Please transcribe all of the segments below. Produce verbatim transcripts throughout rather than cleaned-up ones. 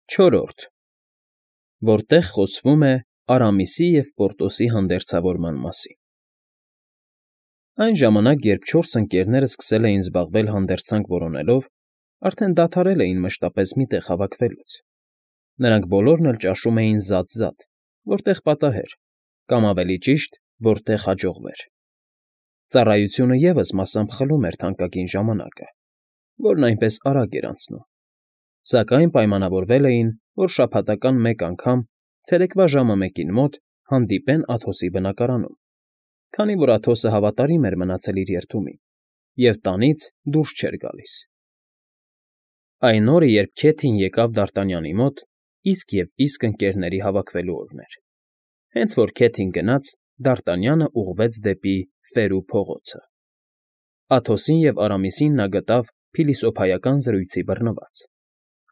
Չորրորդ, որտեղ խոսվում է Արամիսի և Պորտոսի հանդերձավորման մասին։ Այն ժամանակ, երբ չորս ընկերներն սկսել էին զբաղվել հանդերձանք որոնելով, արդեն դադարել էին մշտապես մի տեղ հավաքվելուց. նրանք բոլորն էլ ճաշում էին զատ֊զատ, որտեղ պատահեր, կամ ավելի ճիշտ, որտեղ հաջողվեր։ Ծառայությունը ևս մասամբ խլում էր թանկագին ժամանակը, որն այնպես արագ էր անցնում, սակայն պայմանավորվել էին, որ շաբաթական մեկ անգամ ցերեկվա ժամը մեկին մոտ հանդիպեն Աթոսի բնակարանում, քանի որ Աթոսը հավատարիմ էր մնացել իր երդումին և տանից դուրս չէր գալիս։ Այն օրը, երբ Քեթին եկավ Դարտանյանի մոտ, իսկ և իսկ ընկերների հավաքվելու օրն էր։ Հենց որ Քեթին գնաց, Դարտանյանը ուղղվեց դեպի Ֆերու փողոցը։ Աթոսին և Արամիսին նա գտավ փիլիսոփայական զրույցի բռնված։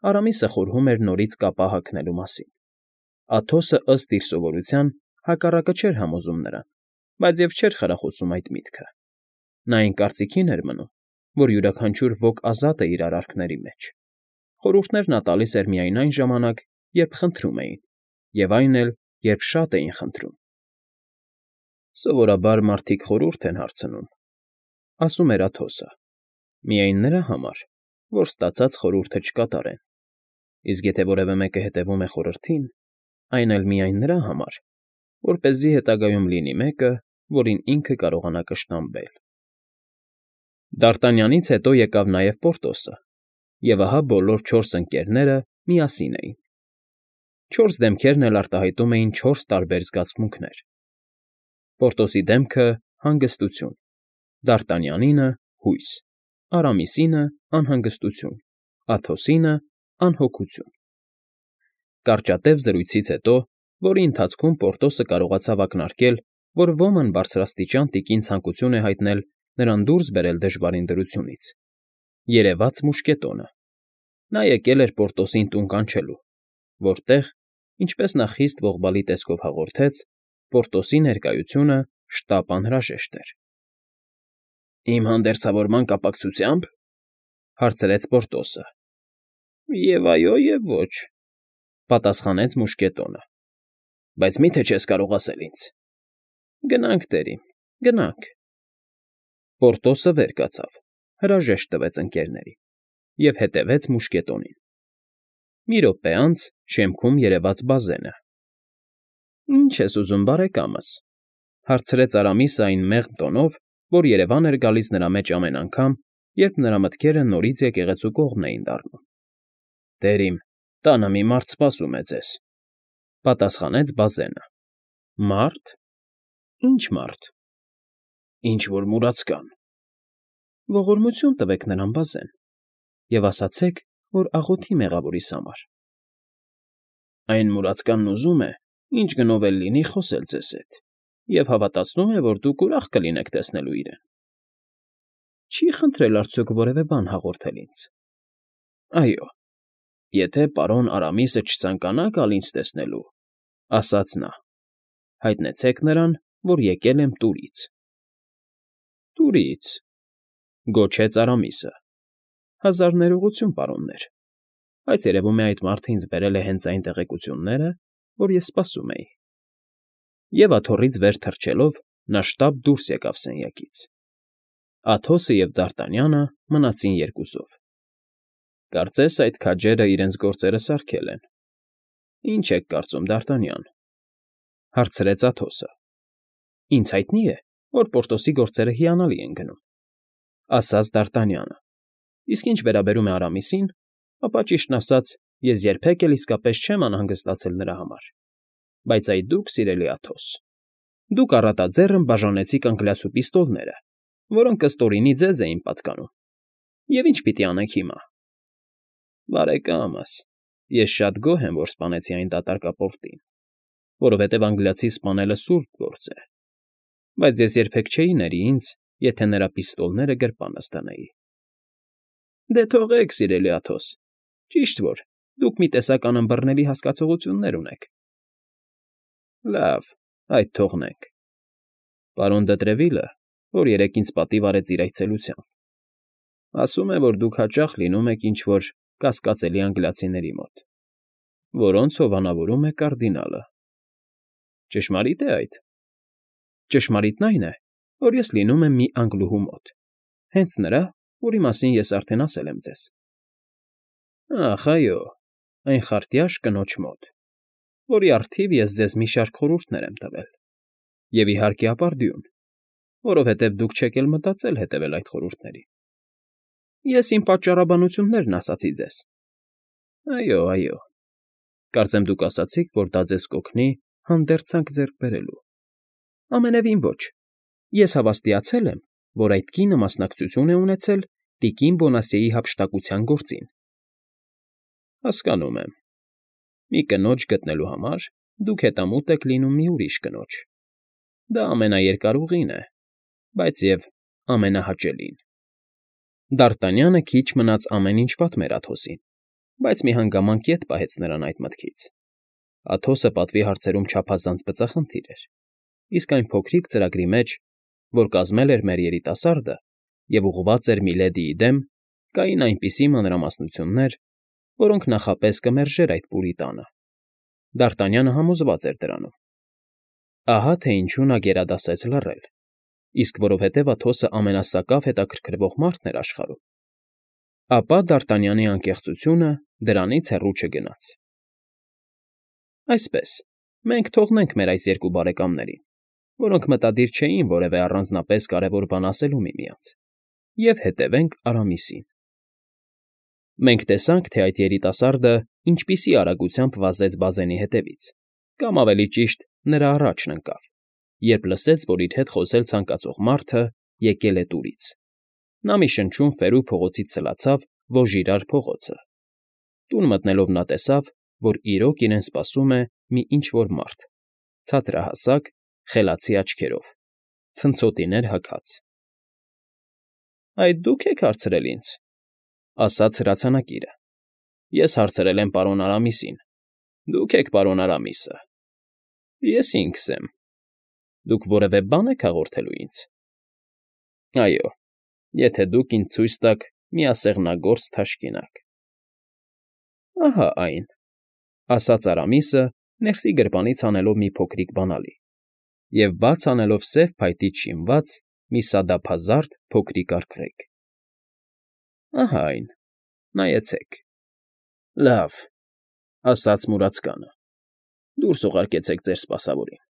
Արամիսը խորհում էր նորից կապա հագնելու մասին։ Աթոսը, ըստ իր սովորության, հակառակը չէր համոզում նրան, բայց և չէր խրախուսում այդ միտքը։ Նա այն կարծիքին էր մնում, որ յուրաքանչյուր ոք ազատ է իր արարքների մեջ։ Խորհուրդներ նա տալիս էր միայն այն ժամանակ, երբ խնդրում էին, և այն էլ, երբ շատ էին խնդրում։ Սովորաբար մարդիկ խորհուրդ են հարցնում, ասում էր Աթոսը, միայն նրա համար, որ ստացած խորհուրդը չկատարեն, իսկ եթե որևէ մեկը հետևում է խորհրդին, այն էլ միայն նրա համար, որպեսզի հետագայում լինի մեկը, որին ինքը կարողանա կշտամբել։ Դարտանյանից հետո եկավ նաև Պորտոսը, և ահա բոլոր չորս ընկերները միասին էին։ Չորս դեմքերն էլ արտահայտում էին չորս տարբեր զգացմունքներ. Պորտոսի դեմքը հանգստություն, Դարտանյանինը՝ հույս, Արամիսինը՝ անհանգստություն, Աթոսինը՝ անհոգություն։ Կարճատև զրույցից հետո, որի ընթացքում Պորտոսը կարողացավ ակնարկել, որ ոմն բարձրաստիճան տիկին ցանկություն է հայտնել նրան դուրս բերել դժվարին դրությունից, երևաց մուշկետոնը։ Նա եկել էր Պորտոսին տուն կանչելու, որտեղ, ինչպես նա խիստ ողբալի տեսքով հաղորդեց, Պորտոսի ներկայությունը շտապ անհրաժեշտ էր։ ֊ Իմ հանդերձավորման կապակցությա՞մբ,֊ հարցրեց Պորտոսը։ ֊ Եվ այո, և ոչ,֊ պատասխանեց մուշկետոնը։ ֊ Բայց մի՞թե չես կարող ասել ինձ։ ֊ Գնանք, տերիմ, գնանք։ Պորտոսը վեր կացավ, հրաժեշտ տվեց ընկերներին և հետևեց մուշկետոնին։ Մի րոպե անց շեմքում երևաց Բազենը։ ֊ Ի՞նչ ես ուզում, բարեկամս,֊ հարցրեց Արամիսը այն մեղմ տոնով, որ երևան էր գալիս նրա մեջ ամեն անգամ, երբ նրա մտքերը նորից եկեղեցու կողմն էին դառնում։ ֊ Տերիմ, տանը մի մարդ սպասում է ձեզ,֊ պատասխանեց Բազենը։ ֊ Մա՞րդ։ ֊ Ի՞նչ մարդ։ ֊ Ինչ֊որ մուրացկան։ ֊ Ողորմություն տվեք նրան, Բազեն, և ասացեք, որ աղոթի մեղավորիս համար։ ֊ Այն մուրացկանն ուզում է, ինչ գնով էլ լինի, խոսել ձեզ հետ և հավատացնում է, որ դուք ուրախ կլինեք տեսնելու իրեն։ ֊ Չի՞ խնդրել արդյոք որևէ բան հաղորդել ինձ։ ֊ Այո, եթե պարոն Արամիսը չցանկանա գալ ինձ տեսնելու, ասաց նա, հայտնեցեք նրան, որ եկել եմ Տուրից։ ֊ Տուրի՞ց,֊ գոչեց Արամիսը։ ֊ Հազար ներողություն, պարոններ, բայց երևում է այդ մարդը ինձ բերել է հենց այն տեղեկությունները, որ ես սպասում էի։ Եվ աթոռից վեր թռչելով՝ նա շտապ դուրս եկավ սենյակից։ Աթոսը և Դարտանյանը մնացին երկուսով։ Կարծես այդ քաջերը իրենց գործերը սարքել են։ ֊ Ի՞նչ եք կարծում, Դարտանյան,֊ հարցրեց Աթոսը։ ֊ Ինձ հայտնի է, որ Պորտոսի գործերը հիանալի են գնում,֊ ասաց Դարտանյանը,֊ իսկ ինչ վերաբերում է Արամիսին, ապա, ճիշտն ասած, ես երբեք էլ իսկապես չեմ անհանգստացել նրա համար։ Բայց այ դուք, սիրելի Աթոս, դուք առատաձեռն բաժանեցիք անգլիացու պիստոլները, որոնք ըստորինի ձեզ էին պատկանում, և ինչ պիտի անենք հիմա։ ֊ Բարեկամս, ես շատ գոհ եմ, որ սպանեցի այն դատարկապորտին, որովհետև անգլիացի սպանելը սուրբ գործ է, բայց ես երբեք չէի ների ինձ, եթե նրա պիստոլները գրպանս դնեի։ ֊ Դե թողեք, սիրելի Աթոս, ճիշտ որ, դուք մի տեսակ անըմբռնելի հասկացողություններ ունեք։ ֊ Լավ, այդ թողնենք։ Պարոն Դետրևիլը, որ երեկ ինձ պատիվ արեց իր այցելությամբ, ասում է, որ դուք հաճախ լինում եք ինչ֊որ կասկածելի անգլիացիների մոտ։ որոնց հովանավորում է կարդինալը։ Ճշմարիտ է այդ։ Ճշմարիտն այն է, որ ես լինում եմ մի անգլուհու մոտ, հենց նրա, որի մասին ես արդեն ասել եմ ձեզ։ Ախ, այո, այն խարտյաշ կնոջ մոտ, որի առթիվ ես ձեզ մի շարք խորհուրդներ եմ տվել, և իհարկե ապարդյուն, որովհետև դուք չեք էլ մտածել հետևել այդ խորհուրդներին։ Ես իմ պատճառաբանություններն ասացի ձեզ։ Այո, այո, կարծեմ դուք ասացիք, որ դա ձեզ կօգնի հանդերձանք ձեռք բերելու։ Ամենևին ոչ, ես հավաստիացել եմ, որ այդ կինը մասնակցություն է ունեցել տիկին Բոնասիեի հափշտակության գործին։ Հասկանում եմ։ Մի կնոջ գտնելու համար դուք հետամուտ եք լինում մի ուրիշ կնոջ։ Դա ամենաերկար ուղին է, բայց և ամենահաճելին։ Դ'Արտանյանը քիչ մնաց ամեն ինչ պատմեր Աթոսին, բայց մի հանգամանք ետ պահեց նրան այդ մտքից։ Աթոսը պատվի հարցերում չափազանց բծախնդիր էր, իսկ այն փոքրիկ ծրագրի մեջ, որ կազմել էր մեր երիտասարդը և ուղղված էր միլեդիի դեմ, կային այնպիսի մանրամասնություններ, որոնք նախապես կմերժեր այդ պուրի տանը։ Դ'Արտանյանը համոզված էր դրանում։ Ահա թե ինչու նա գերադասեց լռել, իսկ որովհետև Աթոսը ամենասակավ հետաքրքրվող մարդն էր աշխարհում, ապա Դ'Արտանյանի անկեղծությունը դրանից հեռու չգնաց։ Այսպես, մենք թողնենք մեր այս երկու բարեկամներին, որոնք մտադիր չէին որևէ առանձնապես կարևոր բան ասելու միմյանց, և հետևենք Արամիսին։ Մենք տեսանք, թե այդ երիտասարդը ինչպիսի արագությամբ վազեց բազենի հետևից, կամ ավելի ճիշտ, նրա առաջն ընկավ, երբ լսեց, որ իր հետ խոսել ցանկացող մարդը եկել է տուրից։ Նա մի շնչուն ֆերու փողոցից սլացավ Վոժիրար փողոցը։ Տուն մտնելով նա տեսավ, որ իրոք իրեն սպասում է մի ինչ֊որ մարդ, ցածրահասակ, խելացի աչքերով, ցնցոտիներ հագած։ ֊ Այդ դու՞ք եք հարցրել ինձ,֊ ասաց հրացանակիրը։ ֊ Ես հարցրել եմ պարոն Արամիսին, դուք եք պարոն Արամիսը։ ֊ Ես ինքս եմ։ Դուք որևէ բան եք հաղորդելու ինձ։ ֊ Այո, եթե դուք ինձ ցույց տաք մի ասեղնագործ թաշկինակ։ ֊ Ահա այն,֊ ասաց Արամիսը, ներսի գրպանից հանելով մի փոքրիկ բանալի և բաց անելով սև փայտից շինված մի սադափազարդ փոքրիկ արգղեկ։ ֊ Ահա այն, նայեցեք։ ֊ Լավ,֊ ասաց մուրացկանը,֊ դուրս ուղարկեցեք ձեր սպասավորին։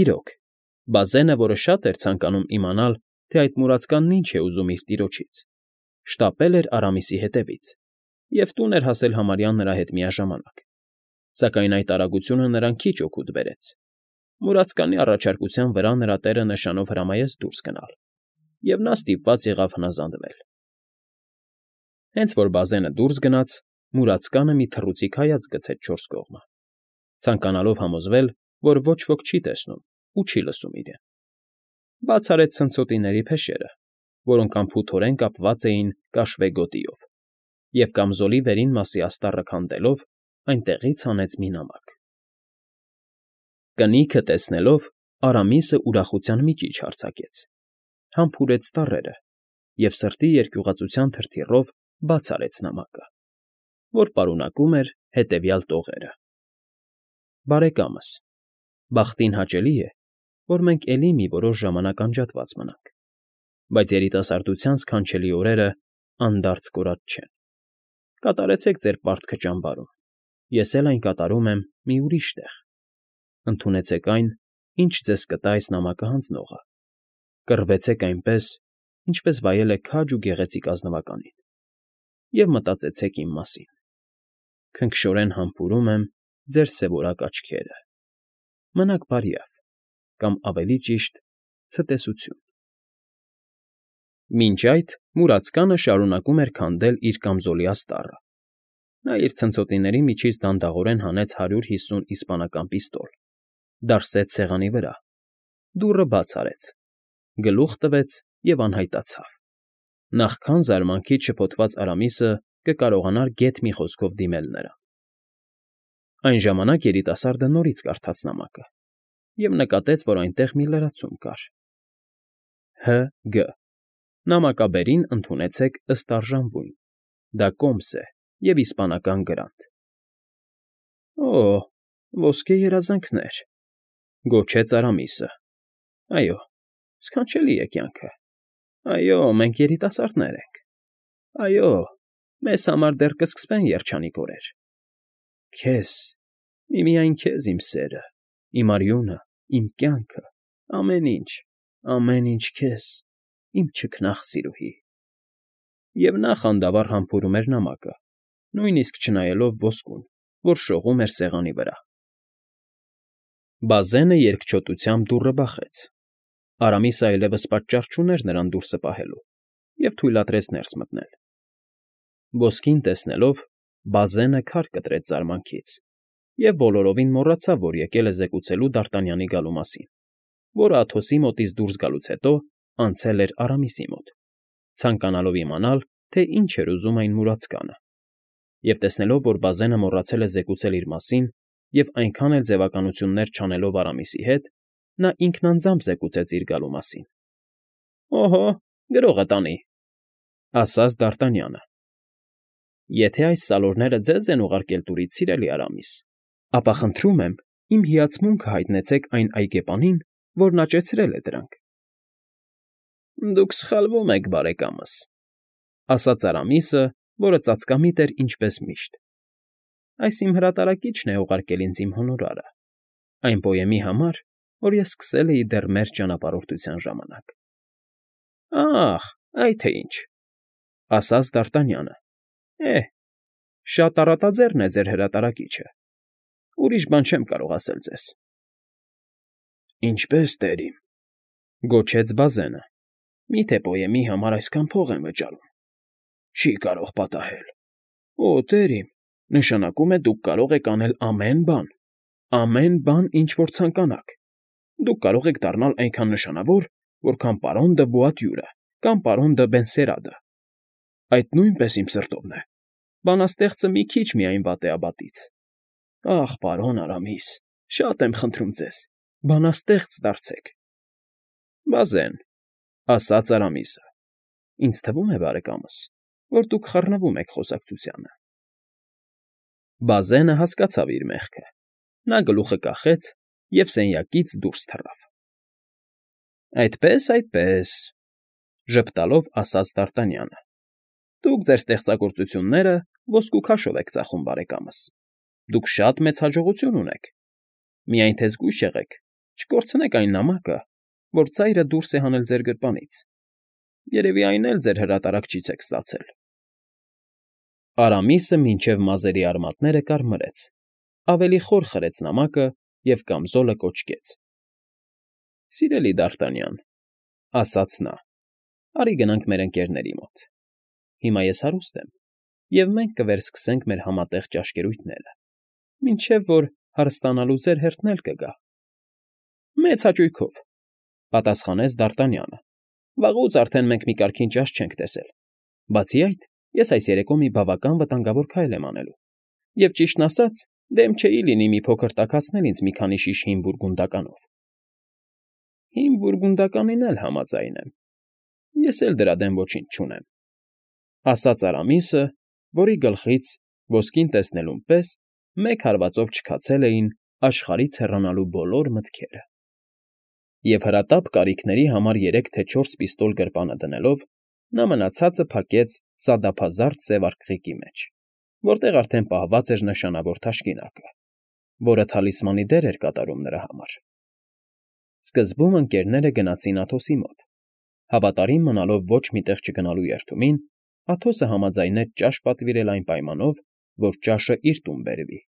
Իրոք, բազենը, որը շատ էր ցանկանում իմանալ, թե այդ մուրացկանն ինչ է ուզում իր տիրոջից, շտապել էր Արամիսի հետևից և տուն էր հասել համարյա նրա հետ միաժամանակ, սակայն այդ արագությունը նրան քիչ օգուտ բերեց։ Մուրացկանի առաջարկության վրա նրա տերը նշանով հրամայեց դուրս գնալ, և նա ստիպված եղավ հնազանդվել։ Հենց որ բազենը դուրս գնաց, մուրացկանը մի թռուցիկ հայացք գցեց չորս կողմը, ցանկանալով համոզվել, որ ոչ ոք չի տեսնում ու չի լսում իրեն։ Բաց արեց ցնցոտիների փեշերը, որոնք անփութորեն կապված էին կաշվե գոտիով, և կամզոլի վերին մասի աստառը քանդելով, այնտեղից հանեց մի նամակ։ Կնիքը տեսնելով, Արամիսը ուրախության միջիչ արձակեց, համբուրեց ծառերը և սրտի երկյուղածության թրթիռով բաց արեց նամակը, որ պարունակում էր հետևյալ տողերը. Բարեկամս, բախտին հաճելի է, որ մենք էլի մի որոշ ժամանակ անջատված մնանք, բայց երիտասարդության սքանչելի օրերը անդարձ կորած չեն։ Կատարեցեք ձեր պարտքը ճամբարում, ես էլ այն կատարում եմ մի ուրիշ տեղ։ Ընդունեցեք այն, ինչ ձեզ կտա այս նամակը հանձնողը, կռվեցեք այնպես, ինչպես վայել է քաջ ու գեղեցիկ ազնվականին, և մտածեցեք իմ մասին։ Քնքշորեն համբուրում եմ ձեր սևորակ աչքերը։ Մնաք բարյավ, կամ ավելի ճիշտ, ցտեսություն։ Մինչ այդ մուրացկանը շարունակում էր քանդել իր կամզոլի աստառը։ Նա իր ցնցոտիների միջից դանդաղորեն հանեց հարյուր հիսուն իսպանական պիստոլ, դարսեց սեղանի վրա, դուռը բաց արեց, գլուխ տվեց և անհայտացավ։ Նախքան զարմանքից շփոթված Արամիսը կկարողանար գեթ մի խոսքով դիմել նրան։ Այն ժամանակ երիտասարդը նորից կարդաց նամակը և նկատեց, որ այնտեղ մի լրացում կար. Հ. Գ. Նամակաբերին ընդունեցեք ըստ արժանվույն, դա կոմս է և իսպանական գրանտ։ Օ, ոսկե երազանքներ,֊ գոչեց Արամիսը։ Այո, սքանչելի է կյանքը։ Այո, մենք երիտասարդներ ենք։ Այո, մեզ համար դեռ կսկսվեն երջանիկ օրեր։ Քեզ, միմիայն քեզ, իմ սերը, իմ արյունը, իմ կյանքը, ամեն ինչ, ամեն ինչ քեզ, իմ չքնաղ սիրուհի… Եվ նա խանդավառ համբուրում էր նամակը, նույնիսկ չնայելով ոսկուն, որ շողում էր սեղանի վրա։ Բազենը երկչոտությամբ դուռը բախեց։ Արամիսը այլևս պատճառ չուներ նրան դուրսը պահելու և թույլատրեց ներս մտնել։ Ոսկին տեսնելով՝ Բազենը քար կտրեց զարմանքից և բոլորովին մոռացավ, որ եկել է զեկուցելու Դարտանյանի գալու մասին, որը Աթոսի մոտից դուրս գալուց հետո անցել էր Արամիսի մոտ, ցանկանալով իմանալ, թե ինչ էր ուզում այն մուրացկանը, և տեսնելով, որ Բազենը մոռացել է զեկուցել իր մասին և այնքան էլ ձևականություններ չանելով Արամիսի հետ, նա ինքն անձամբ զեկուցեց իր գալու մասին։ ֊ Օհո, գրողը տանի,֊ ասաց Դարտանյանը։ Եթե այս սալորները ձեզ են ուղարկել տուրից, սիրելի Արամիս, ապա խնդրում եմ իմ հիացմունքը հայտնեցեք այն այգեպանին, որն աճեցրել է դրանք։ ֊ Դուք սխալվում եք, բարեկամս,֊ ասաց Արամիսը, որը ծածկամիտ էր ինչպես միշտ։ Այս իմ հրատարակիչն է ուղարկել ինձ իմ հոնորարը, այն պոեմի համար, որ ես սկսել էի դեռ մեր ճանապարհորդության ժամանակ։ ֊ Ա՜խ, այդ թե ինչ,֊ ասաց Դարտանյանը։ Է՛հ, շատ առատաձեռն է ձեր հրատարակիչը, ուրիշ բան չեմ կարող ասել ձեզ։ ֊ Ինչպե՞ս, տերիմ,֊ գոչեց Բազենը,֊ մի՞թե պոեմի համար այսքան փող են վճարում։ Չի կարող պատահել։ Օ, տերիմ, նշանակում է դուք կարող եք անել ամեն բան, ամեն բան, ինչ որ ցանկանաք։ Դուք կարող եք դառնալ այնքան նշանավոր, որքան պարոն դը Բոատյուրը կամ պարոն դը Բենսերադը։ Այդ նույնպես իմ սրտովն է։ Բանաստեղծը մի քիչ միայն վատ է աբատից։ Ախ, պարոն Արամիս, շատ եմ խնդրում ձեզ, բանաստեղծ դարձեք։ ֊ Բազեն,֊ ասաց Արամիսը,֊ ինձ թվում է, բարեկամս, որ դուք խառնվում եք խոսակցությանը։ Բազենը հասկացավ իր մեղքը։ Նա գլուխը կախեց և սենյակից դուրս թռավ։ ֊ Այդպե՜ս, այդպե՜ս,֊ ժպտալով ասաց Դարտանյանը,֊ դուք ձեր ստեղծագործությունները ոսկու քաշով եք ծախում, բարեկամս, դուք շատ մեծ հաջողություն ունեք։ Միայն թե զգույշ եղեք, չկորցնեք այն նամակը, որ ծայրը դուրս է հանել ձեր գրպանից. երևի այն էլ ձեր հրատարակչից եք ստացել։ Արամիսը մինչև մազերի արմատները կարմրեց, ավելի խոր խրեց նամակը և կամզոլը կոճկեց։ ֊ Սիրելի Դարտանյան,֊ ասաց նա,֊ արի գնանք մեր ընկերների մոտ։ Հիմա ես հարուստ եմ, և մենք կվերսկսենք մեր համատեղ ճաշկերույթները, մինչև որ հարստանալու ձեր հերթն էլ կգա։ ֊ Մեծ հաճույքով,֊ պատասխանեց Դարտանյանը,֊ վաղուց արդեն մենք մի կարգին ճաշ չենք տեսել։ Բացի այդ, ես այս երեկո մի բավական վտանգավոր քայլ եմ անելու, և, ճիշտն ասած, դեմ չէի լինի մի փոքր տաքացնել ինձ մի քանի շիշ հին բուրգունդականով։ ֊ Հին բուրգունդականին էլ համաձայն եմ, ես էլ դրա դեմ ոչինչ չունեմ,֊ ասաց Արամիսը, որի գլխից, ոսկին տեսնելուն պես, մեկ հարվածով չքացել էին աշխարհից հեռանալու բոլոր մտքերը։ Եվ հրատապ կարիքների համար երեք թե չորս պիստոլ գրպանը դնելով, նա մնացածը փակեց սադափազարդ սև արկղիկի մեջ, որտեղ արդեն պահված էր նշանավոր թաշկինակը, որը թալիսմանի դեր էր կատարում նրա համար։ Սկզբում ընկերները գնացին Աթոսի մոտ։ Հավատարիմ մնալով ոչ մի տեղ չգնալու երդումին, Աթոսը համաձայնեց ճաշ պատվիրել այն պայմանով, որ ճաշը իր տուն բերվի։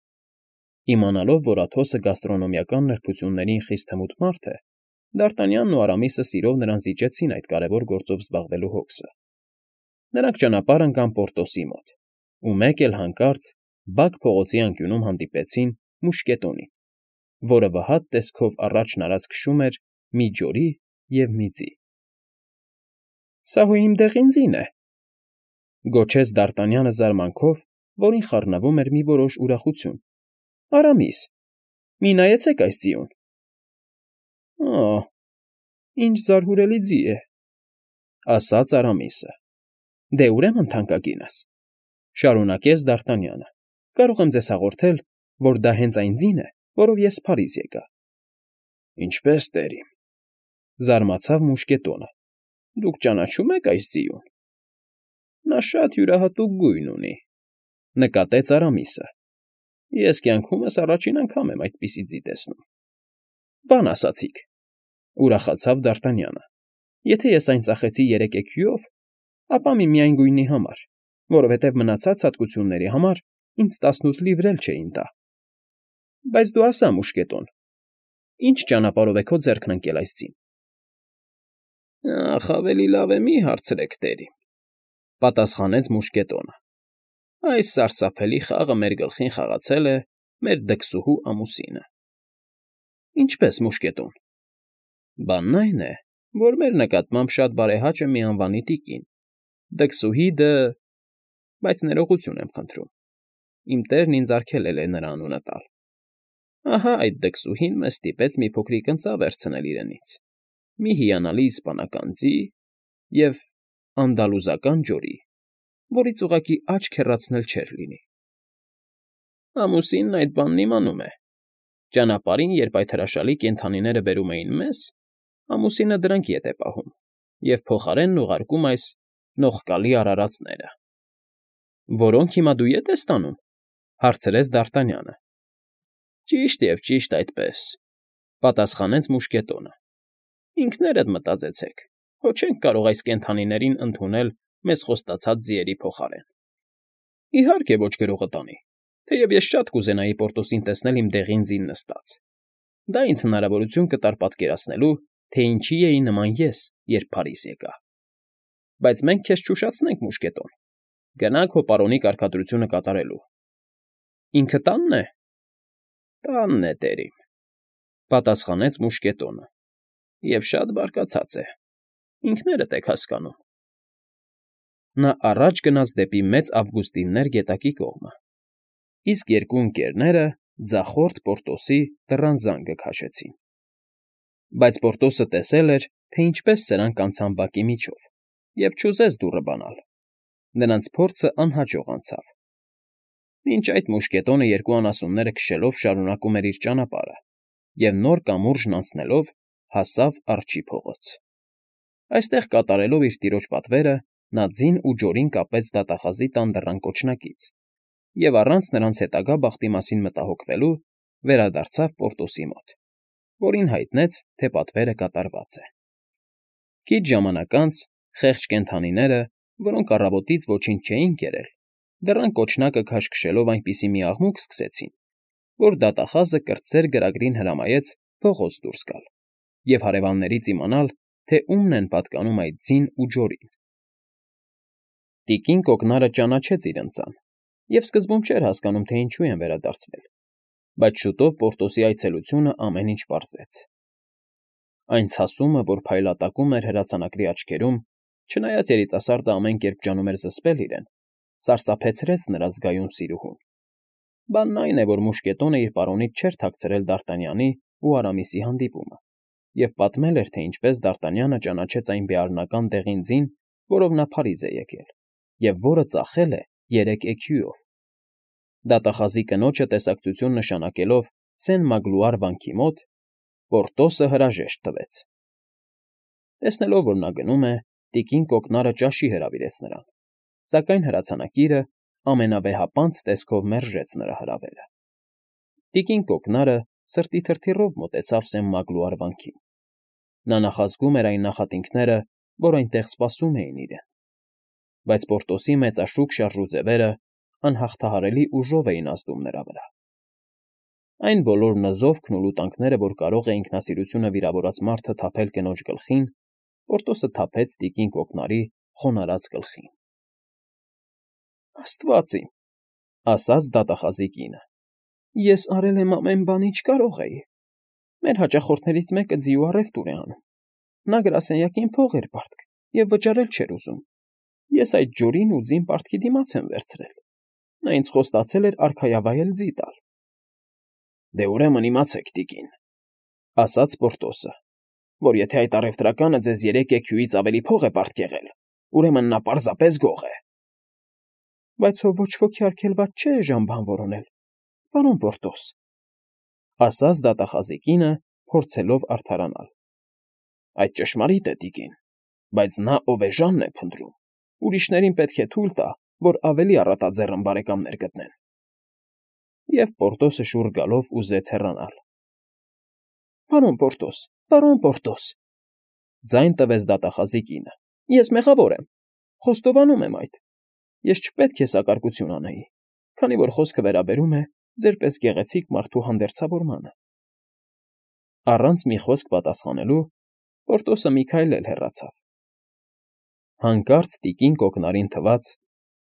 Իմանալով, որ Աթոսը գաստրոնոմիական նրբություններին խիստ հմուտ մարդ է, Դարտանյանն ու Արամիսը սիրով նրան զիջեցին այդ կարևոր գործով զբաղվելու հոգսը։ Նրանք ճանապարհ ընկան Պորտոսի մոտ, ու մեկ էլ հանկարծ Բակ փողոցի անկյունում հանդիպեցին մուշկետոնին, որը վհատ տեսքով առաջն արած քշում էր մի ջորի և մի ձի։ ֊ Սա հո իմ դեղին ձին է,֊ գոչեց Դարտանյանը զարմանքով, որին խառնվում էր մի որոշ ուրախություն։ ֊ Արամիս, մի նայեցեք այս ձիուն։ ֊ Օ՜, ինչ զարհուրելի ձի է,֊ ասաց Արամիսը։ ֊ Դե, ուրեմն, թանկագինս,֊ շարունակեց Դարտանյանը,֊ կարող եմ ձեզ հաղորդել, որ դա հենց այն ձին է, որով ես Փարիզ եկա։ ֊ Ինչպե՞ս, տերիմ,֊ զարմացավ մուշկետոնը։ Դուք ճանաչում եք այս ձիուն։ ֊ Նա շատ յուրահատուկ գույն ունի,֊ նկատեց Արամիսը։ Ես կյանքումս առաջին անգամ եմ այդպիսի ձի տեսնում։ ֊ Բան ասացիք,֊ ուրախացավ Դ'Արտանյանը։ Եթե ես այն ծախեցի երեք էքյուով, ապա միմիայն գույնի համար, որովհետև մնացած հատկությունների համար ինձ տասնութ լիվր էլ չէին տա։ ֊ Բայց դու ասա, մուշկետոն, ի՞նչ ճանապարհով է քո ձեռքն ընկել այս ձին։ ֊ Ախ, ավելի լավ է մի հարցրեք, տերիմ,֊ պատասխանեց մուշկետոնը։ Այս սարսափելի խաղը մեր գլխին խաղացել է մեր դքսուհու ամուսինը։ ֊ Ինչպե՞ս, մուշկետոն։ ֊ Բանն այն է, որ մեր նկատմամբ շատ բարեհաճ է մի անվանի տիկին, դքսուհի Դ… Բայց ներողություն եմ խնդրում, իմ տերն ինձ արգելել է նրա անունը տալ։ Ահա այդ դքսուհին մեզ ստիպեց մի փոքրիկ ընծա վերցնել իրենից, մի հիանալի իսպանական ձի և անդալուզական ջորի, որից ուղղակի աչք հեռացնել չէր լինի։ Ամուսինն այդ բանն իմանում է։ Ճանապարհին, երբ այդ հրաշալի կենդանիները բերում էին մեզ, ամուսինը դրանք ետ է պահում և փոխարենն ուղարկում այս նողկալի արարածները։ ֊ Որոնք հիմա դու ետ ես տանում,֊ հարցրեց Դ'Արտանյանը։ ֊ Ճիշտ և ճիշտ այդպես,֊ պատասխանեց մուշկետոնը։ Ինքներդ մտածեցեք, հո չենք կարող այս կենդանիներին ընդունել մեզ խոստացած ձիերի փոխարեն։ ֊ Իհարկե ոչ, գրողը տանի, թեև ես շատ կուզենայի Պորտոսին տեսնել իմ դեղին ձին նստած։ Դա ինձ հնարավորություն կտար պատկերացնելու, թե ինչի էի նման ես, երբ Փարիզ եկա։ Բայց մենք քեզ չուշացնենք, մուշկետոն, գնա քո պարոնի կարգադրությունը կատարելու։ ֊ Ինքը տա՞նն է։ ֊ Տանն է, տերիմ,֊ պատասխանեց մուշկետոնը,֊ և շատ բարկացած է, ինքներդ եք հասկանում։ Նա առաջ գնաց դեպի Մեծ Ավգուստիններ գետակի կողմը, իսկ երկու ընկերները ձախորդ Պորտոսի դռան զանգը քաշեցին։ Բայց Պորտոսը տեսել էր, թե ինչպես սրանք անցան բակի միջով, և չուզեց դուռը բանալ։ Նրանց փորձը անհաջող անցավ։ Մինչ այդ մուշկետոնը երկու անասունները քշելով շարունակում էր իր ճանապարհը և նոր կամուրջն անցնելով հասավ Արջի փողոց։ Այստեղ կատարելով իր տիրոջ պատվերը՝ նա ձին ու ջորին կապեց դատախազի տան դռան կոչնակից և առանց նրանց հետագա բախտի մասին մտահոգվելու վերադարձավ Պորտոսի մոտ, որին հայտնեց, թե պատվերը կատարված է։ Քիչ ժամանակ անց խեղճ կենդանիները, որոնք առավոտից ոչինչ չէին կերել, դռան կոչնակը քաշքշելով այնպիսի մի աղմուկ սկսեցին, որ դատախազը կրտսեր գրագրին հրամայեց փողոց դուրս գալ և հարևաններից իմանալ, թե ումն են պատկանում այդ ձին ու ջորին։ Տիկին կոկնարը ճանաչեց իր ընծան և սկզբում չէր հասկանում, թե ինչու են վերադարձվել, բայց շուտով Պորտոսի այցելությունը ամեն ինչ պարզեց։ Այն ցասումը, որ փայլատակում էր հրացանակրի աչքերում, չնայած երիտասարդը ամեն կերպ ջանում էր զսպել իրեն, սարսափեցրեց նրա զգայուն սիրուհուն։ Բանն այն է, որ մուշկետոնը իր պարոնից չէր թաքցրել Դ'Արտանյանի ու Արամիսի հանդիպումը և պատմել էր, թե ինչպես Դ'Արտանյանը ճանաչեց այն բեառնական դեղին ձին, որով նա Փարիզ է եկել, և որը ծախել է երեք էքյուով։ Դատախազի կնոջը տեսակցություն նշանակելով Սեն֊Մագլուար վանքի մոտ, Պորտոսը հրաժեշտ տվեց։ Տեսնելով, որ նա գնում է, տիկին կոկնարը ճաշի հրավիրեց նրան, սակայն հրացանակիրը ամենավեհապանծ տեսքով մերժեց նրա հրավերը։ Տիկին կոկնարը սրտի թրթիռով մոտեցավ Սեն֊Մագլուար վանքին։ Նա նախազգում էր այն նախատինքները, որ այնտեղ սպասում էին իրեն։ Բայց Պորտոսի մեծաշուք շարժուձևերը անհաղթահարելի ուժով էին ազդում նրա վրա։ Այն բոլոր նզովքն ու լուտանքները, որ կարող է ինքնասիրությունը վիրավորած մարդը թափել կնոջ գլխին, Պորտոսը թափեց տիկին կոկնարի խոնարհած գլխին։ ֊ Աստված իմ,֊ ասաց դատախազի կինը,֊ ես արել եմ ամեն բան, ինչ կարող էի։ Մեր հաճախորդներից մեկը ձի ու առևտուր է անում։ Նա գրասենյակին փող էր պարտք և վճարել չէր ուզում։ Ես այդ ջորին ու ձին պարտքի դիմաց եմ վերցրել։ Նա ինձ խոստացել էր արքայավայել ձի տալ։ ֊ Դե ուրեմն իմացեք, տիկին,֊ ասաց Պորտոսը, որ եթե այդ առևտրականը ձեզ երեք էքյուից ավելի փող է պարտքեղել, ուրեմն նա պարզապես գող է։ ֊ Բայց հո ոչ ոքի արգելված չէ էժան բան որոնել։ Պարոն Պորտոս, ասաց դատախազի կինը, փորձելով արդարանալ։ Այդ ճշմարիտ է, տիկին, բայց նա, ով էժանն է փնտրում, ուրիշներին պետք է թույլ տա, որ ավելի առատաձեռն բարեկամներ գտնեն։ Եվ Պորտոսը շուռ գալով ուզեց հեռանալ։ Պարոն Պորտոս, պարոն Պորտոս, ձայն տվեց դատախազի կինը, ես մեղավոր եմ, խոստովանում եմ այդ, ես չպետք է սակարկություն անեի, քանի որ խոսքը վերաբերում է ձերպես գեղեցիկ մարդու հանդերձավորմանը։ Առանց մի խոսք պատասխանելու Պորտոսը մի քայլ էլ հեռացավ։ Հանկարծ տիկին կոկնարին թվաց,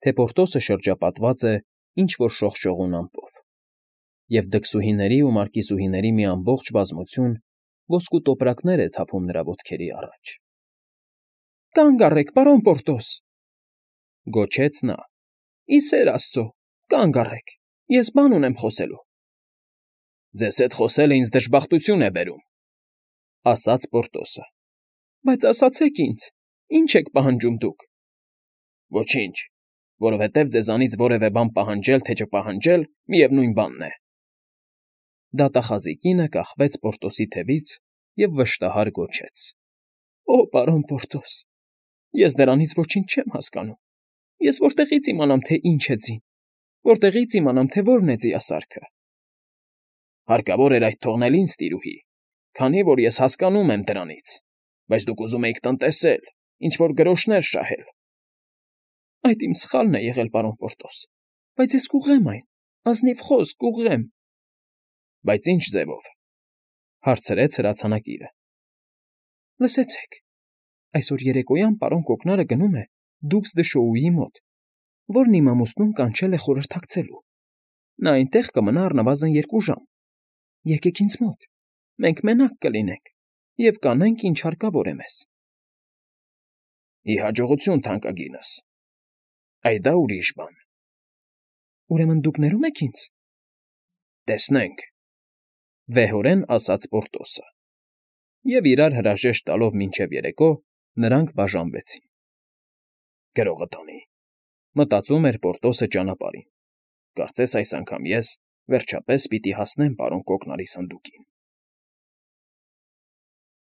թե Պորտոսը շրջապատված է ինչ-որ շողշողուն ամպով, և դքսուհիների ու մարկիսուհիների մի ամբողջ բազմություն ոսկու տոպրակներ է թափում նրա ոտքերի առաջ։ Կանգ առեք, պարոն Պորտոս, գոչեց նա, ի սեր Աստծո, կանգ առեք, ես բան ունեմ խոսելու։ Ձեզ հետ խոսելը ինձ դժբախտություն է բերում, ասաց Պորտոսը։ Բայց ասացեք ինձ, ինչ եք պահանջում դուք։ Ոչինչ, որովհետև ձեզանից որևէ բան պահանջել թե չպահանջել, միևնույն բանն է։ Դատախազի կինը կախվեց Պորտոսի թևից և վշտահար գոչեց. Օ, պարոն Պորտոս, ես դրանից ոչինչ չեմ հասկանում։ Ես որտեղի՞ց իմանամ, թե ինչ է ձին, որտեղի՞ց իմանամ, թե որն է ձիասարքը։ Հարկավոր էր այդ թողնել ինձ, տիրուհի, քանի որ ես հասկանում եմ դրանից, բայց դուք ուզում էիք տնտեսել, ինչ-որ գրոշներ շահել։ Այդ իմ սխալն է եղել, պարոն Պորտոս, բայց ես կուղղեմ այն, ազնիվ խոսք, կուղղեմ։ Բայց ինչ ձևով, հարցրեց հրացանակիրը։ Լսեցեք, այսօր երեկոյան պարոն Կոկնարը գնում է Դուքս դը Շոուի մոտ, որն իմ ամուսնուն կանչել է խորհրդակցելու։ Նա այնտեղ կմնա առնվազն երկու ժամ։ Եկեք ինձ մոտ, մենք մենակ կլինենք և կանենք, ինչ հարկավոր է մեզ։ Ի հաջողություն, թանկագինս, այ դա ուրիշ բան։ Ուրեմն դուք ներում եք ինձ։ Տեսնենք, վեհորեն ասաց Պորտոսը։ Եվ իրար հրաժեշտ տալով մինչև երեկո, նրանք բաժանվեցին։ Գրողը տանի, մտածում էր Պորտոսը ճանապարհին։ Կարծես այս անգամ ես, վերջապես, պիտի հասնեմ պարոն Կոկնարի սնդուկին։